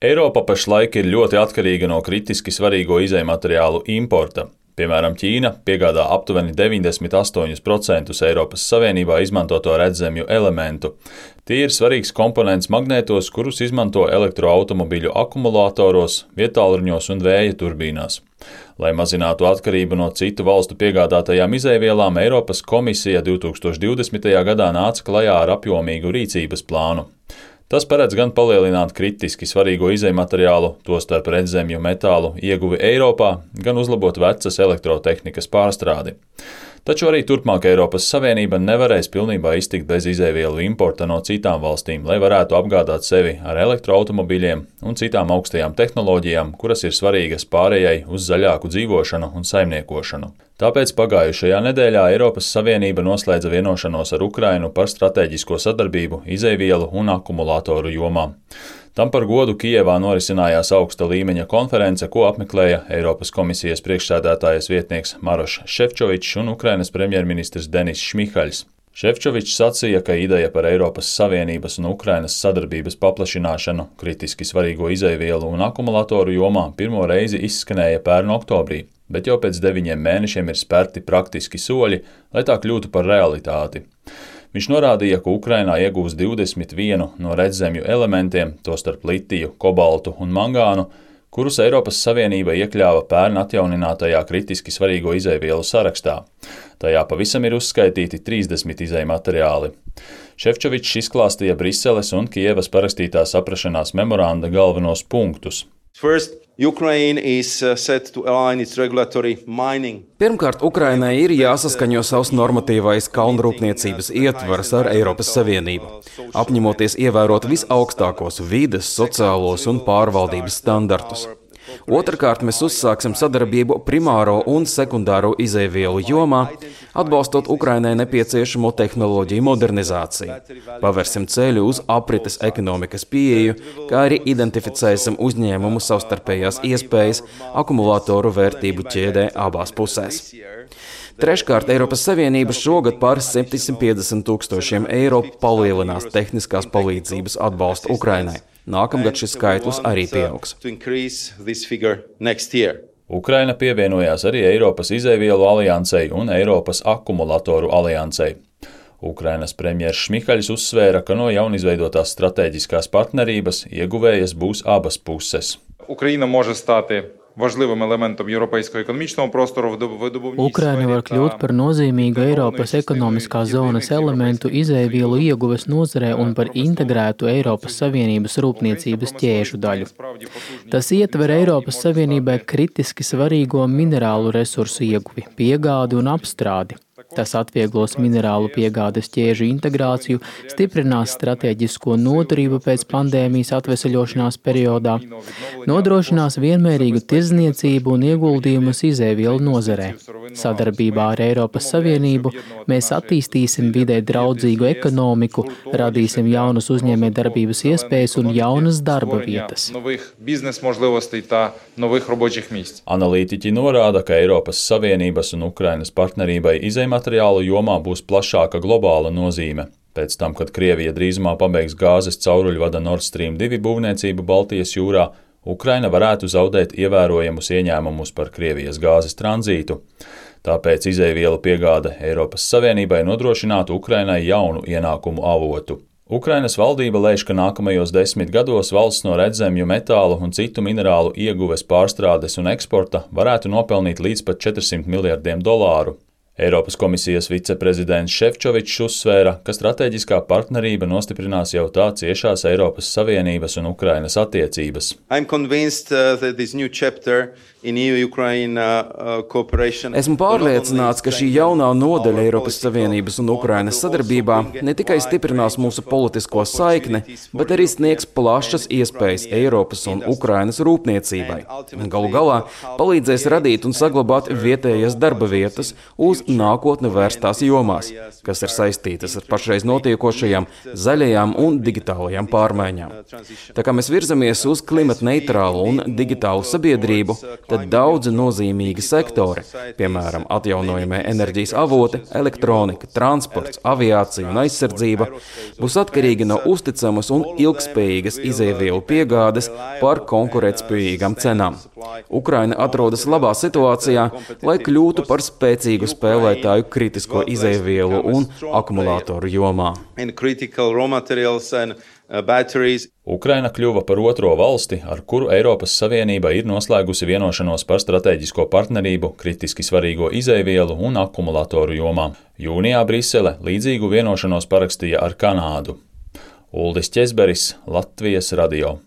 Eiropa pašlaik ir ļoti atkarīga no kritiski svarīgo izejmateriālu importa. Piemēram, Ķīna piegādā aptuveni 98% Eiropas Savienībā izmantoto redzemju elementu. Tie ir svarīgs komponents magnētos, kurus izmanto elektroautomobiļu akumulātoros, vietālruņos un vēja turbīnās. Lai mazinātu atkarību no citu valstu piegādātajām izejvielām, Eiropas komisija 2020. gadā nāca klajā ar apjomīgu rīcības plānu. Tas paredz gan palielināt kritiski svarīgo izejmateriālu, tostarp redzemju metālu ieguvi Eiropā, gan uzlabot vecas elektrotehnikas pārstrādi. Taču arī turpmāk Eiropas Savienība nevarēs pilnībā iztikt bez izejvielu importa no citām valstīm, lai varētu apgādāt sevi ar elektroautomobiļiem un citām augstajām tehnoloģijām, kuras ir svarīgas pārējai uz zaļāku dzīvošanu un saimniekošanu. Tāpēc pagājušajā nedēļā Eiropas Savienība noslēdza vienošanos ar Ukrainu par stratēģisko sadarbību izejvielu un akumulātoru jomā. Tam par godu Kijevā norisinājās augsta līmeņa konference, ko apmeklēja Eiropas komisijas priekšsēdētājas vietnieks Marošs Šefčovičs un Ukrainas premjerministrs Denis Šmihaļs. Šefčovičs sacīja, ka ideja par Eiropas Savienības un Ukrainas sadarbības paplašināšanu kritiski svarīgo izejvielu un akumulātoru jomā pirmo reizi izskanēja pērn oktobrī, bet jau pēc 9 mēnešiem ir spērti praktiski soļi, lai tā kļūtu par realitāti. Viņš norādīja, ka Ukrainā iegūs 21 no redzemju elementiem, tostarp litiju, kobaltu un mangānu, kurus Eiropas Savienība iekļāva pērn atjauninātajā kritiski svarīgo izejvielu sarakstā. Tajā pavisam ir uzskaitīti 30 izejmateriāli. Šefčovičs izklāstīja Briseles un Kijevas parakstītā saprašanās memoranda galvenos punktus. Pirmkārt, Ukrainai ir jāsaskaņo savs normatīvais kalnrūpniecības ietvars ar Eiropas Savienību, apņemoties ievērot visaugstākos vides, sociālos un pārvaldības standartus. Otrkārt, mēs uzsāksim sadarbību primāro un sekundāro izejvielu jomā, atbalstot Ukrainai nepieciešamo tehnoloģiju modernizāciju. Pavērsim ceļu uz aprites ekonomikas pieeju, kā arī identificēsim uzņēmumu savstarpējās iespējas akumulātoru vērtību ķēdē abās pusēs. Treškārt, Eiropas Savienība šogad par 750 000 eiro palielinās tehniskās palīdzības atbalstu Ukrainai. Nākamgad šis skaitlis arī pieaugs. Ukraina pievienojās arī Eiropas izejvielu aliansei un Eiropas akumulātoru aliansei. Ukrainas premjers Šmihaļs uzsvēra, ka no jaunizveidotās stratēģiskās partnerības ieguvējas būs abas puses. Ukraina може стати важливим елементом європейського економічного простору в видобувній Ukraina var kļūt par nozīmīgu Eiropas ekonomiskās zonas elementu izejvielu ieguves nozarē un par integrētu Eiropas Savienības rūpniecības ķēžu daļu. Tas ietver Eiropas Savienībai kritiski svarīgo minerālu resursu ieguvi, piegādi un apstrādi. Tas atvieglos minerālu piegādes ķēžu integrāciju, stiprinās stratēģisko noturību pēc pandēmijas atveseļošanās periodā, nodrošinās vienmērīgu tirdzniecību un ieguldījumus izejvielu nozarē. Sadarbībā ar Eiropas Savienību mēs attīstīsim vidē draudzīgu ekonomiku, radīsim jaunas uzņēmējdarbības iespējas un jaunas darba vietas. Analītiķi norāda, ka Eiropas Savienības un Ukrainas partnerībai izejmateriālu jomā būs plašāka globāla nozīme. Pēc tam, kad Krievija drīzumā pabeigs gāzes cauruļvada Nord Stream 2 būvniecību Baltijas jūrā, Ukraina varētu zaudēt ievērojamus ieņēmumus par Krievijas gāzes tranzītu. Tāpēc izejvielu piegāde Eiropas Savienībai nodrošinātu Ukrainai jaunu ienākumu avotu. Ukrainas valdība lēš, ka nākamajos 10 gados valsts no redzemju metālu un citu minerālu ieguves, pārstrādes un eksporta varētu nopelnīt līdz pat $400 miljardiem. Eiropas komisijas viceprezidents Šefčovičs uzsvēra, ka stratēģiskā partnerība nostiprinās jau tā ciešās Eiropas Savienības un Ukrainas attiecības. Esmu pārliecināts, ka šī jaunā nodaļa Eiropas Savienības un Ukrainas sadarbībā ne tikai stiprinās mūsu politisko saikni, bet arī sniegs plašas iespējas Eiropas un Ukrainas rūpniecībai. Galu galā palīdzēs radīt un saglabāt vietējas darba vietas uz nākotni vērstās jomās, kas ir saistītas ar pašreiz notiekošajām zaļajām un digitālajām pārmaiņām. Tā kā mēs virzamies uz klimatneitrālu un digitālu sabiedrību, tad daudzi nozīmīgi sektori, piemēram, atjaunojamie enerģijas avoti, elektronika, transports, aviācija un aizsardzība, būs atkarīgi no uzticamas un ilgspējīgas izēvielu piegādes par konkurētspējīgām cenām. Ukraina atrodas labā situācijā, lai kļūtu par spēcīgu spēlētāju kritisko izēvielu un akumulātoru jomā. Ukraina kļuva par otro valsti, ar kuru Eiropas Savienība ir noslēgusi vienošanos par stratēģisko partnerību kritiski svarīgo izēvielu un akumulātoru jomā. Jūnijā Brisele līdzīgu vienošanos parakstīja ar Kanādu. Uldis Ķezberis, Latvijas radio.